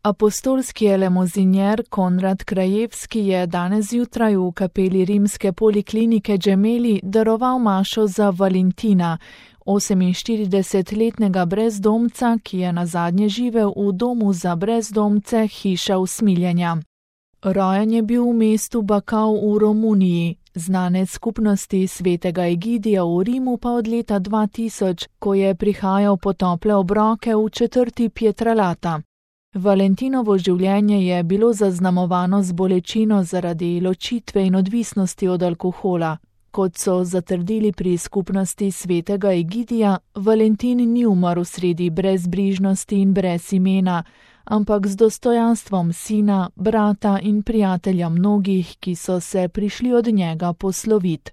Apostolski elemozinjer Konrad Krajewski je danes zjutraj v kapeli rimske poliklinike Gemelli daroval mašo za Valentina, 48-letnega brezdomca, ki je nazadnje živel v domu za brezdomce Hiša usmiljenja. Rojen je bil v mestu Bakau v Romuniji, znanec skupnosti svetega Egidija v Rimu pa od leta 2000, ko je prihajal po tople obroke v četrti Pietralata. Valentinovo življenje je bilo zaznamovano z bolečino zaradi ločitve in odvisnosti od alkohola. Kot so zatrdili pri skupnosti svetega Egidija, Valentin ni umrl sredi brezbrižnosti in brez imena, ampak z dostojanstvom sina, brata in prijatelja mnogih, ki so se prišli od njega poslovit.